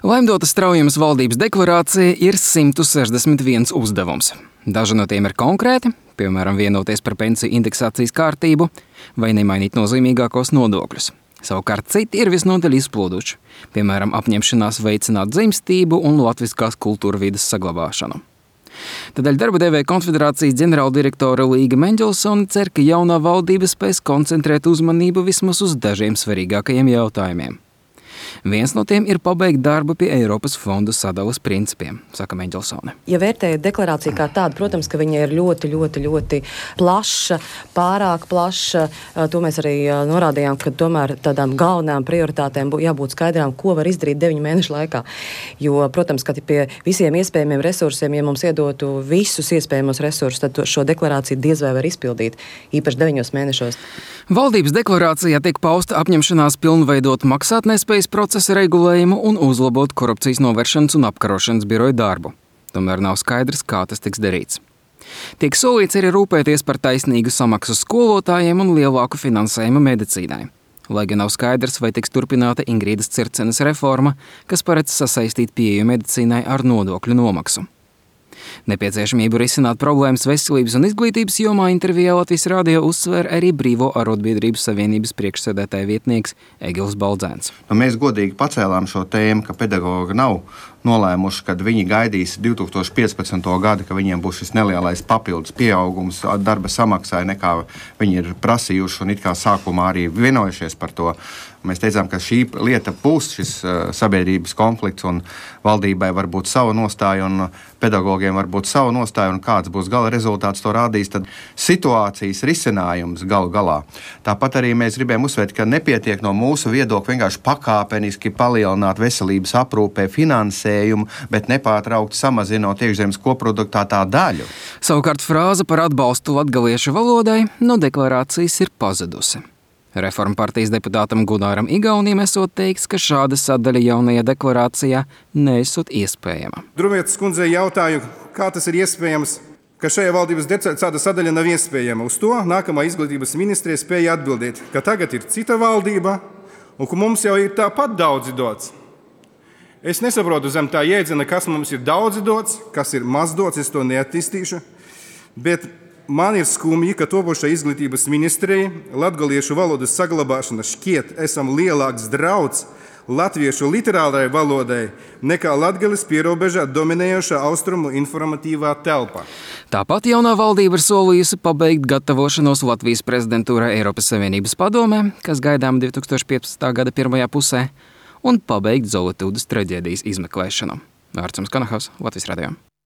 Laimdotas Straujamas valdības deklarācija ir 161 uzdevums. Daži no tiem ir konkrēti, piemēram, vienoties par pensiju indeksācijas kārtību vai nemainīt nozīmīgākos nodokļus. Savukārt citi ir visnotaļ izplūduši, piemēram, apņemšanās veicināt dzimstību un latviskās kultūrvides saglabāšanu. Tādēļ darba devēja konfederācijas ģenerāldirektore Līga Meņģelsone cer, ka jaunā valdība spēs koncentrēt uzmanību vismaz uz dažiem svarīgākajiem jautājumiem. Viens no tiem ir pabeigt darbu pie Eiropas fondu sadalas principiem, saka Meņģelsone. Ja vērtējat deklarāciju kā tādu, protams, ka viņa ir ļoti plaša, pārāk plaša. To mēs arī norādījām, ka tomēr tādām galvenām prioritātēm jābūt skaidrām, ko var izdarīt 9 mēnešu laikā. Jo, protams, ka pie visiem iespējamiem resursiem, ja mums iedotu visus iespējamos resursus, tad šo deklarāciju diez vai var izpildīt, īpaši 9 mēnešos. Valdības deklarācijā tiek pausta apņemšanās pilnveidot maksātnespējas procesa regulējumu un uzlabot korupcijas novēršanas un apkarošanas biroja darbu. Tomēr nav skaidrs, kā tas tiks darīts. Tiek solīts arī rūpēties par taisnīgu samaksu skolotājiem un lielāku finansējumu medicīnai. Lai gan nav skaidrs, vai tiks turpināta Ingrīdas Circenes reforma, kas paredz sasaistīt pieeju medicīnai ar nodokļu nomaksu. Nepieciešamību risināt problēmas veselības un izglītības jomā intervijā Latvijas radio uzsver arī Brīvo arotbiedrību savienības priekšsēdētāja vietnieks Egils Baldzēns. Mēs godīgi pacēlām šo tēmu, ka pedagogi nav nolēmuši, kad viņi gaidīs 2015. gadu, ka viņiem būs šis nelielais papildus pieaugums darba samaksai, nekā viņi ir prasījuši un it kā sākumā arī vienojušies par to. Mēs teicām, ka šī lieta būs šis sabiedrības konflikts un valdībai var būt sava nostāja un pedagogiem var būt sava nostāja un kāds būs gala rezultāts, to rādīs tad situācijas risinājums galu galā. Tāpat arī mēs gribējām uzsvērt, ka nepietiek no mūsu viedokļa vienkārši pakāpeniski palielināt veselības aprūpē finansējumu, bet nepārtraukti samazinot iekšzemes koproduktā tā daļu. Savukārt frāze par atbalstu latgaliešu valodai no deklarācijas ir pazudusi. Reforma partijas deputātam Gunāram Igaunim esot teiks, ka šāda sadaļa jaunajā deklarācijā neesot iespējama. Drumietas kundzei jautāju, kā tas ir iespējams, ka šajā valdības šāda sadaļa nav iespējama. Uz to nākamā izglītības ministrija spēja atbildēt, ka tagad ir cita valdība un ka mums jau ir tāpat daudzi dots. Es nesaprotu zem tā jēdziena, kas mums ir daudzi dots, kas ir maz dots, es to neattīstīšu, bet man ir skumji, ka topošai izglītības ministrijai latgaliešu valodas saglabāšana šķiet esam lielāks drauds latviešu literārajai valodai nekā Latgales pierobežā dominējošā austrumu informatīvā telpa. Tāpat jaunā valdība ir solījusi pabeigt gatavošanos Latvijas prezidentūrai Eiropas Savienības padomē, kas gaidām 2015. gada pirmajā pusē, un pabeigt Zolitūdas traģēdijas izmeklēšanu. Vārds jums Kanahavs, Latvijas radio.